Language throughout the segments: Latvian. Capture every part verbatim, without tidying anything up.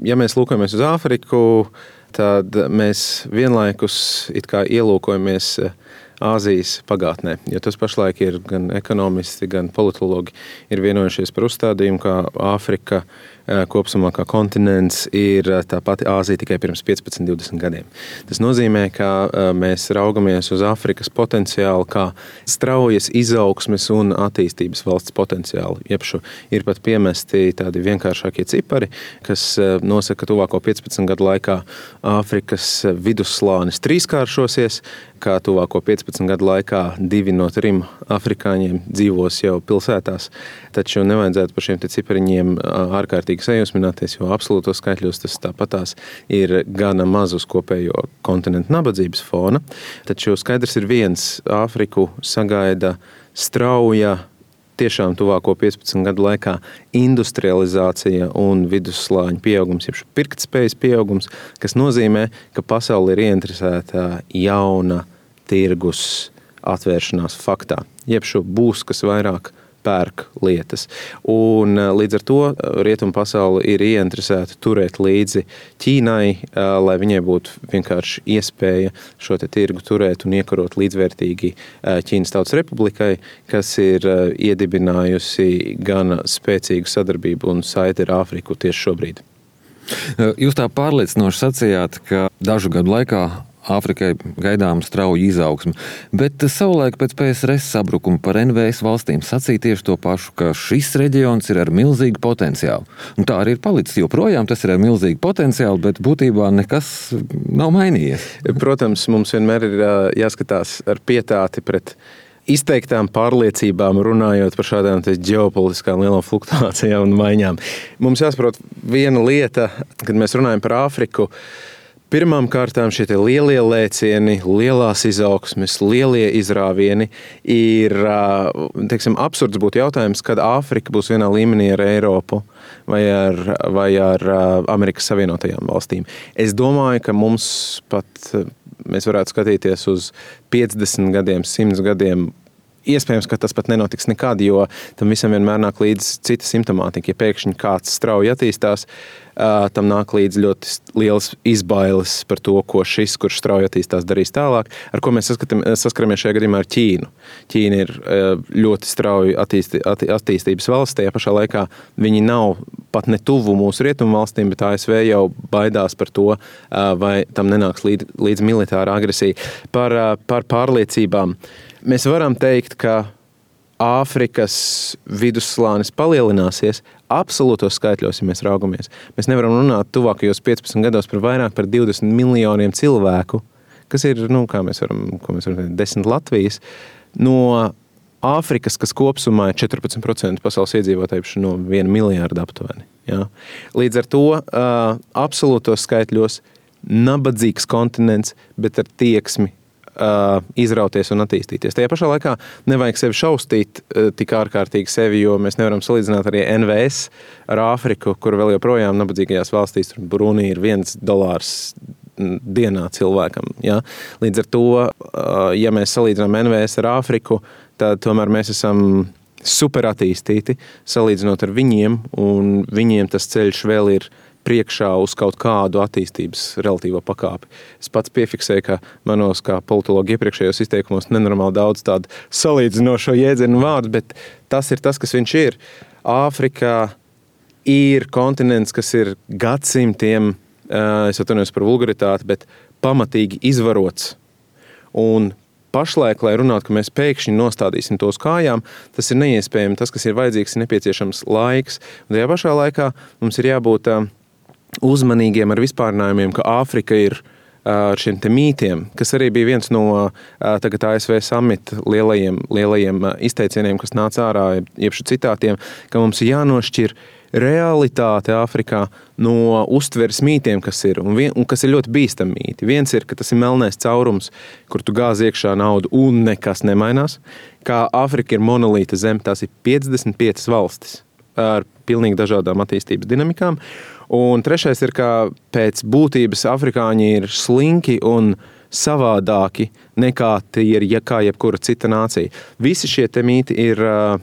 Ja mēs lūkojamies uz Āfriku, tad mēs vienlaikus it kā ielūkojamies Āzijas pagātnē, jo tas pašlaik ir gan ekonomisti, gan politologi ir vienojušies par uzstādījumu, ka Āfrika kopsumā kā kontinents ir tā pati Āzija tikai pirms piecpadsmit divdesmit gadiem. Tas nozīmē, ka mēs raugamies uz Āfrikas potenciālu kā straujas izaugsmes un attīstības valsts potenciālu. Iepšu ir pat piemesti tādi vienkāršākie cipari, kas nosaka, ka tuvāko piecpadsmit gadu laikā Āfrikas vidusslānis trīskāršosies, kā tuvāko piecpadsmit gadu laikā divi no trim afrikāņiem dzīvos jau pilsētās. Taču nevajadzētu par šiem te cipariņiem ārkārtīgi sajūsmināties, jo absolūtos skaitļos tas tāpatās ir gana maz uz kopējo kontinentu nabadzības fona. Taču skaidrs ir viens, Āfriku sagaida strauja, tiešām tuvāko piecpadsmit gadu laikā industrializācija un vidusslāņu pieaugums, jeb pirktspējas pieaugums, kas nozīmē, ka pasaule ir ieinteresēta jauna tirgus atvēršanās faktā. Jeb šo būs, kas vairāk pērk lietas. Un līdz ar to rietumu pasaule ir ieinteresēta turēt līdzi Ķīnai, lai viņai būtu vienkārši iespēja šo te tirgu turēt un iekarot līdzvērtīgi Ķīnas Tautas Republikai, kas ir iedibinājusi gan spēcīgu sadarbību un saiti ar Āfriku tieši šobrīd. Jūs tā pārliecinoši sacījāt, ka dažu gadu laikā Āfrikai gaidām strauji izaugsmi, bet savulaik pēc P S R S sabrukuma par N V S valstīm sacīja tieši to pašu, ka šis reģions ir ar milzīgu potenciālu. Un tā arī ir palicis, joprojām tas ir ar milzīgu potenciālu, bet būtībā nekas nav mainījies. Protams, mums vienmēr ir jāskatās ar pietāti pret izteiktām pārliecībām, runājot par šādām ģeopolitiskām lielām fluktuācijām un maiņām. Mums jāsaprot viena lieta, kad mēs runājam par Āfriku. Pirmām kārtām šie lielie lēcieni, lielās izaugsmes, lielie izrāvieni ir, teiksim, absurds būtu jautājums, kad Āfrika būs vienā līmenī ar Eiropu vai ar, vai ar Amerikas Savienotajām valstīm. Es domāju, ka mums pat, mēs varētu skatīties uz piecdesmit gadiem, simt gadiem. Iespējams, ka tas pat nenotiks nekad, jo tam visam vienmēr nāk līdz cita simptomātika. Ja pēkšņi kāds strauji attīstās, tam nāk līdz ļoti liels izbailes par to, ko šis, kurš strauji attīstās, darīs tālāk, ar ko mēs saskaramies šajā gadījumā ar Ķīnu. Ķīna ir ļoti strauji attīsti, attīstības valsts, tajā pašā laikā viņi nav pat ne tuvu mūsu rietumu valstīm, bet A S V jau baidās par to, vai tam nenāks līdz, līdz militāra agresija. Par, par pārliecībām. Mēs varam teikt, ka Āfrikas vidusslānis palielināsies absolūtos skaitļos, ja mēs raugamies. Mēs nevaram runāt tuvākajos piecpadsmit gados par vairāk par divdesmit miljoniem cilvēku, kas ir, nu, kā mēs varam, ko mēs varam teikt, desmit Latvijas, no Āfrikas, kas kopsumā ir četrpadsmit procenti pasaules iedzīvotāju no viena miljārda aptuveni. Ja? Līdz ar to uh, absolūtos skaitļos nabadzīgs kontinents, bet ar tieksmi Uh, izrauties un attīstīties. Tajā pašā laikā nevajag sevi šaustīt uh, tik ārkārtīgi sevi, jo mēs nevaram salīdzināt arī N V S ar Āfriku, kur vēl joprojām nabadzīgajās valstīs, tur Brunī ir viens dolārs dienā cilvēkam. Ja? Līdz ar to, uh, ja mēs salīdzinām N V S ar Āfriku, tad tomēr mēs esam super attīstīti, salīdzinot ar viņiem, un viņiem tas ceļš vēl ir priekšā uz kaut kādu attīstības relatīvo pakāpi. Es pats piefiksēju, ka manos kā politologi iepriekšējos izteikumos nenormāli daudz tādu salīdzinošo jēdzienu vārdu, bet tas ir tas, kas viņš ir. Āfrikā ir kontinents, kas ir gadsimtiem, es atvainojos par vulgaritāti, bet pamatīgi izvarots. Un pašlaik, lai runātu, ka mēs pēkšņi nostādīsim to uz kājām, tas ir neiespējami. Tas, kas ir vajadzīgs, ir nepieciešams laiks. Un tajā pašā laikā mums ir jābūt uzmanīgiem ar vispārinājumiem, ka Āfrika ir ar šiem te mītiem, kas arī bija viens no tagad A S V samita lielajiem, lielajiem izteicieniem, kas nāca ārā, iepšu citātiem, ka mums ir jānošķir realitāte Āfrikā no uztveres mītiem, kas ir, un, vien, un kas ir ļoti bīstami mīti. Viens ir, ka tas ir melnais caurums, kur tu gāzi iekšā naudu un nekas nemainās. Kā Āfrika ir monolīta zeme, tās ir piecdesmit piecas valstis ar pilnīgi dažādām attīstības dinamikām. Un trešais ir, ka pēc būtības afrikāņi ir slinki un savādāki nekā tie ir ja kā jebkura cita nācija. Visi šie te mīti ir uh,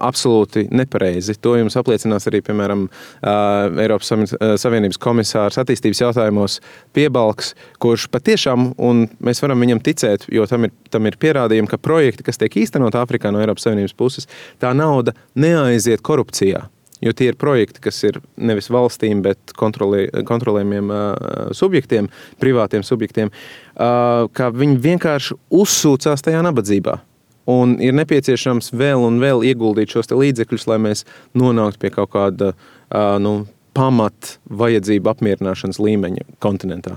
absolūti nepareizi. To jums apliecinās arī, piemēram, uh, Eiropas Savienības komisārs attīstības jautājumos Piebalgs, kurš patiešām, un mēs varam viņam ticēt, jo tam ir, tam ir pierādījumi, ka projekti, kas tiek īstenot Āfrikā no Eiropas Savienības puses, tā nauda neaiziet korupcijā. Jo tie ir projekti, kas ir nevis valstīm, bet kontrolē, kontrolējumiem uh, subjektiem, privātiem subjektiem, uh, ka viņi vienkārši uzsūcās tajā nabadzībā. Un ir nepieciešams vēl un vēl ieguldīt šos te līdzekļus, lai mēs nonāktu pie kaut kāda uh, nu, pamat vajadzību apmierināšanas līmeņa kontinentā.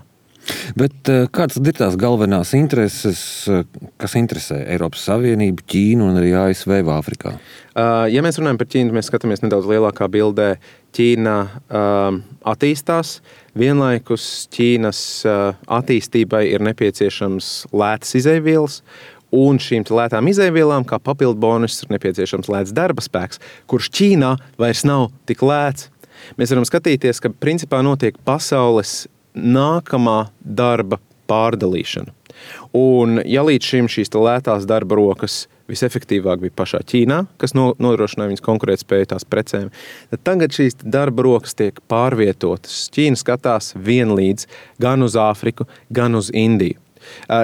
Bet kādas ir tās galvenās intereses, kas interesē Eiropas Savienību, Ķīnu un arī A S V Āfrikā? Ja mēs runājam par Ķīnu, mēs skatāmies nedaudz lielākā bildē. Ķīna um, attīstās, vienlaikus Ķīnas uh, attīstībai ir nepieciešams lētas izeivielas, un šīm lētām izeivvielām, kā papildu bonus, ir nepieciešams lēts darba spēks, kurš Ķīnā vairs nav tik lēts. Mēs varam skatīties, ka principā notiek pasaules nākamā darba pārdalīšana. Un ja līdz šim šīs lētās darba rokas visefektīvāk bija pašā Ķīnā, kas nodrošināja viņas konkurētspēju tās precēm, tad tagad šīs darba rokas tiek pārvietotas. Ķīna skatās vienlīdz gan uz Āfriku, gan uz Indiju.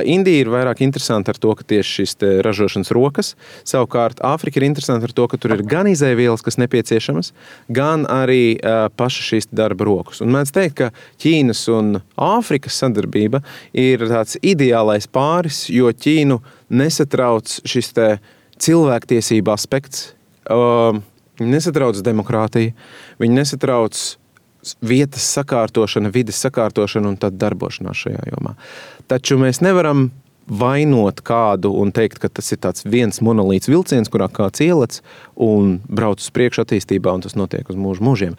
Indija ir vairāk interesanta ar to, ka tieši šīs ražošanas rokas, savukārt Āfrika ir interesanta ar to, ka tur ir gan izeivielas, kas nepieciešamas, gan arī uh, paša šīs darba rokas. Un mēdz teikt, ka Ķīnas un Āfrikas sadarbība ir tāds ideālais pāris, jo Ķīnu nesatrauc šis te cilvēktiesība aspekts, uh, viņi nesatrauc demokrātiju, viņi nesatrauc vietas sakārtošana, vides sakārtošana un tad darbošanās šajā jomā. Taču mēs nevaram vainot kādu un teikt, ka tas ir tāds viens monolīts vilciens, kurā kāds ielec un brauc uz priekšu attīstībā, un tas notiek uz mūžu mūžiem.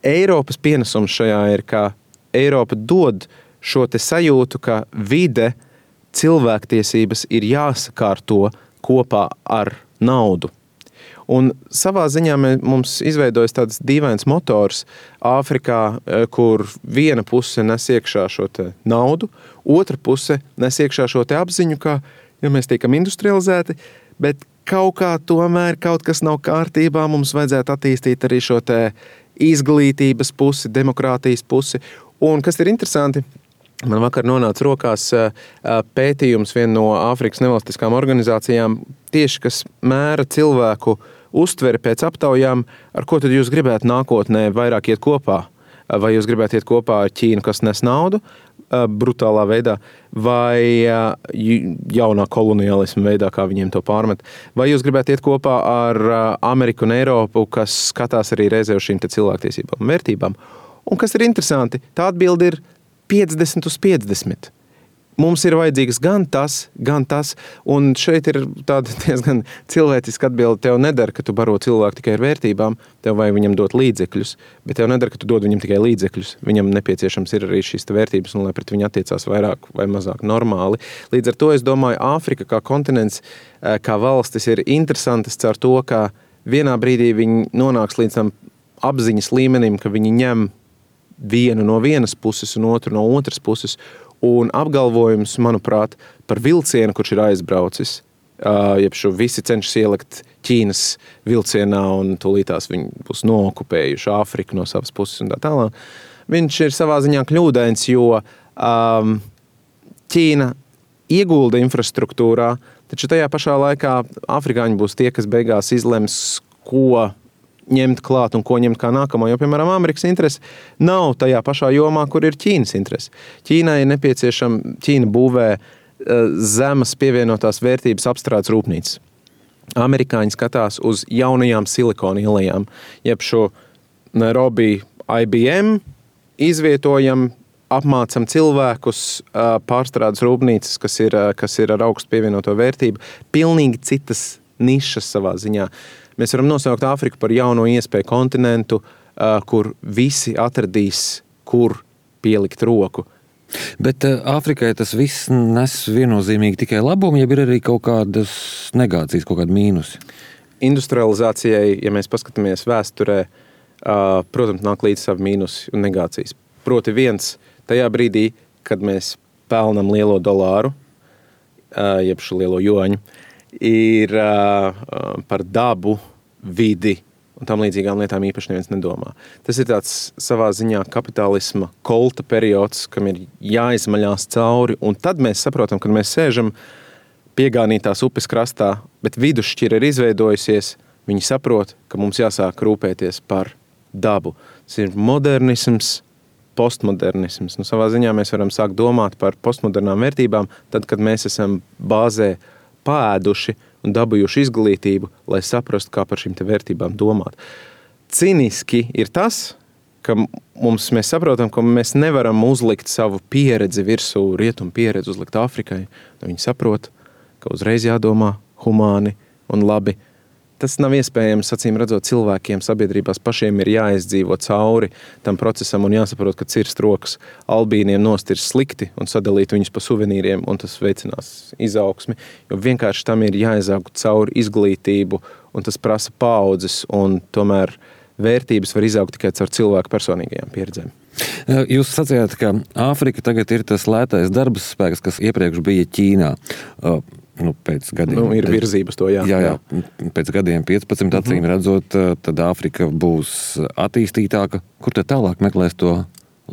Eiropas pienesums šajā ir, ka Eiropa dod šo te sajūtu, ka vide, cilvēktiesības ir jāsakārto kopā ar naudu. Un savā ziņā mums izveidojas tāds dīvains motors Āfrikā, kur viena puse nes iekšā šo te naudu, otra puse nes iekšā šo te apziņu, ka ja mēs tiekam industrializēti, bet kaut kā tomēr kaut kas nav kārtībā, mums vajadzētu attīstīt arī šo te izglītības pusi, demokrātijas pusi. Un kas ir interesanti, man vakar nonāca rokās pētījums viena no Āfrikas nevalstiskām organizācijām, tieši kas mēra cilvēku uztveri pēc aptaujām, ar ko tad jūs gribētu nākotnē vairāk iet kopā. Vai jūs gribētu iet kopā ar Ķīnu, kas nes naudu brutālā veidā, vai jaunā koloniālisma veidā, kā viņiem to pārmet. Vai jūs gribētu iet kopā ar Ameriku un Eiropu, kas skatās arī reizē uz šīm te cilvēktiesībām un vērtībām. Un kas ir interesanti, tā atbilde ir piecdesmit uz piecdesmit. Mums ir vajadzīgs gan tas, gan tas, un šeit ir tāda diezgan cilvēciska atbilde. Tev nedara, ka tu baro cilvēku tikai ar vērtībām, tev vajag viņam dot līdzekļus, bet tev nedara, ka tu dod viņam tikai līdzekļus. Viņam nepieciešams ir arī šīs vērtības, un lai pret viņu attiecās vairāk vai mazāk normāli. Līdz ar to es domāju, Āfrika kā kontinents, kā valstis ir interesantas caur to, ka vienā brīdī viņi nonāks līdz tam apziņas līmenim, ka viņi ņem vienu no vienas puses un otru no otras puses, un apgalvojums, manuprāt, par vilcienu, kurš ir aizbraucis, jeb šo visi cenšas ielikt Ķīnas vilcienā un tūlītās viņi būs nookupējuši Āfriku no savas puses un tā tālāk. Viņš ir savā ziņā kļūdains, jo um, Ķīna iegulda infrastruktūrā, taču tajā pašā laikā afrikāņi būs tie, kas beigās izlems, ko ņemt klāt un ko ņemt kā nākamo, jo, piemēram, Amerikas interese nav tajā pašā jomā, kur ir Ķīnas interese. Ķīnai ir nepieciešama, Ķīna būvē zemes pievienotās vērtības apstrādes rūpnīcas. Amerikāņi skatās uz jaunajām silikona ielējām, jeb šo Nairobi I B M izvietojam, apmācam cilvēkus, pārstrādes rūpnīcas, kas ir, kas ir ar augstu pievienoto vērtību, pilnīgi citas nišas savā ziņā. Mēs varam nosaukt Āfriku par jauno iespēju kontinentu, kur visi atradīs, kur pielikt roku. Bet Āfrikai tas viss nes viennozīmīgi tikai labumu, ja ir arī kaut kādas negācijas, kaut kādi mīnusi? Industrializācijai, ja mēs paskatāmies vēsturē, protams, nāk līdz savi mīnusi un negācijas. Proti viens, tajā brīdī, kad mēs pelnam lielo dolāru, jeb šo lielo joņu, ir par dabu, vidi un tam līdzīgām lietām īpaši neviens nedomā. Tas ir tāds savā ziņā kapitālisma kolta periods, kam ir jāizmaļās cauri, un tad mēs saprotam, kad mēs sēžam piegānītās upes krastā, bet vidusšķira ir izveidojusies, viņi saprot, ka mums jāsāk rūpēties par dabu. Tas ir modernisms, postmodernisms. Nu, savā ziņā mēs varam sākt domāt par postmodernām vērtībām, tad, kad mēs esam bāzē pāēduši un dabūjuši izglītību, lai saprastu, kā par šīm te vērtībām domāt. Ciniski ir tas, ka mums, mēs saprotam, ka mēs nevaram uzlikt savu pieredzi virsū, rietumu pieredzi uzlikt Āfrikai. Viņi saprot, ka uzreiz jādomā humāni un labi. Tas nav iespējams, acīm redzot, cilvēkiem sabiedrībās pašiem ir jāizdzīvo cauri tam procesam un jāsaprot, ka cirst rokas albīniem nost ir slikti un sadalīt viņus pa suvenīriem, un tas veicinās izaugsmi, jo vienkārši tam ir jāizaug cauri izglītību, un tas prasa paaudzes, un tomēr vērtības var izaugt tikai caur cilvēku personīgajām pieredzēm. Jūs sacījāt, ka Āfrika tagad ir tas lētais darba spēks, kas iepriekš bija Ķīnā. Nu, pēc gadiem, nu, ir virzības to, jā. Jā, jā. Pēc gadiem piecpadsmit acīm mm-hmm. redzot, tad Āfrika būs attīstītāka. Kur tad tālāk meklēs to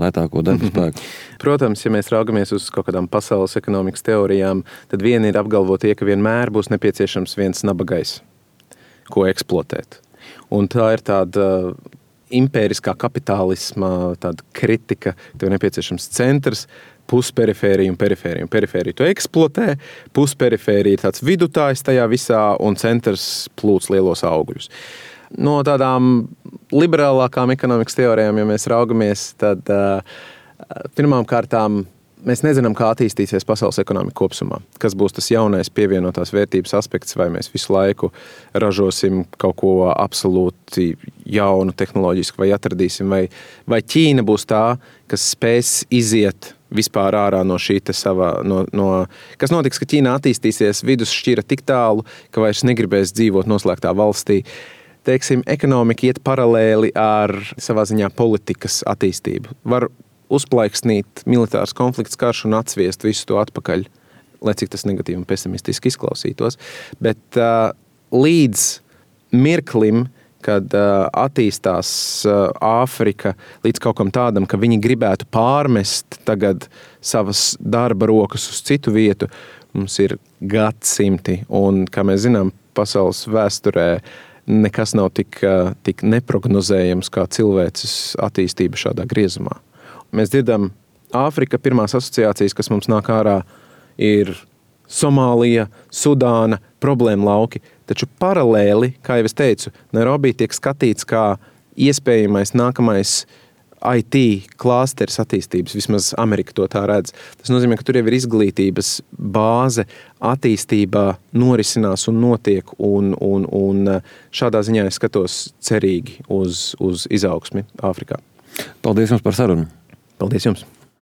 lētāko darba spēku? Mm-hmm. Protams, ja mēs raugamies uz kaut kādām pasaules ekonomikas teorijām, tad viena ir apgalvot, ka vienmēr būs nepieciešams viens nabagais, ko eksploatēt. Un tā ir tāda impēriskā kapitālisma tāda kritika, tev nepieciešams centrs, pusperifērija un perifērija. Un perifērija to eksploatē, pusperifērija ir tāds vidutājs tajā visā un centrs plūc lielos augļus. No tādām liberālākām ekonomikas teorijām, ja mēs raugamies, tad uh, pirmām kārtām mēs nezinām, kā attīstīsies pasaules ekonomika kopsumā. Kas būs tas jaunais pievienotās vērtības aspekts, vai mēs visu laiku ražosim kaut ko absolūti jaunu tehnoloģisku, vai atradīsim, vai, vai Ķīna būs tā, kas spēs iziet vispār ārā no šī te savā, no, no, kas notiks, ka Ķīna attīstīsies vidusšķira tik tālu, ka vairs negribēs dzīvot noslēgtā valstī. Teiksim, ekonomika iet paralēli ar savā ziņā politikas attīstību. Var uzplaiksnīt militārs konflikts, karš un atsviest visu to atpakaļ, lai cik tas negatīvi un pesimistiski izklausītos. Bet uh, līdz mirklim, kad uh, attīstās uh, Āfrika līdz kaut kam tādam, ka viņi gribētu pārmest tagad savas darba rokas uz citu vietu, mums ir gadsimti. Un, kā mēs zinām, pasaules vēsturē nekas nav tik, uh, tik neprognozējams kā cilvēces attīstība šādā griezumā. Mēs dzirdam, Āfrika pirmās asociācijas, kas mums nāk ārā, ir Somālija, Sudāna, problēma lauki. Taču paralēli, kā jau es teicu, Nairobi tiek skatīts kā iespējamais nākamais I T klāsteris attīstības, vismaz Amerika to tā redz. Tas nozīmē, ka tur jau ir izglītības bāze, attīstībā norisinās un notiek, un, un, un šādā ziņā es skatos cerīgi uz, uz izaugsmi Āfrikā. Paldies jums par sarunu! Paldies jums!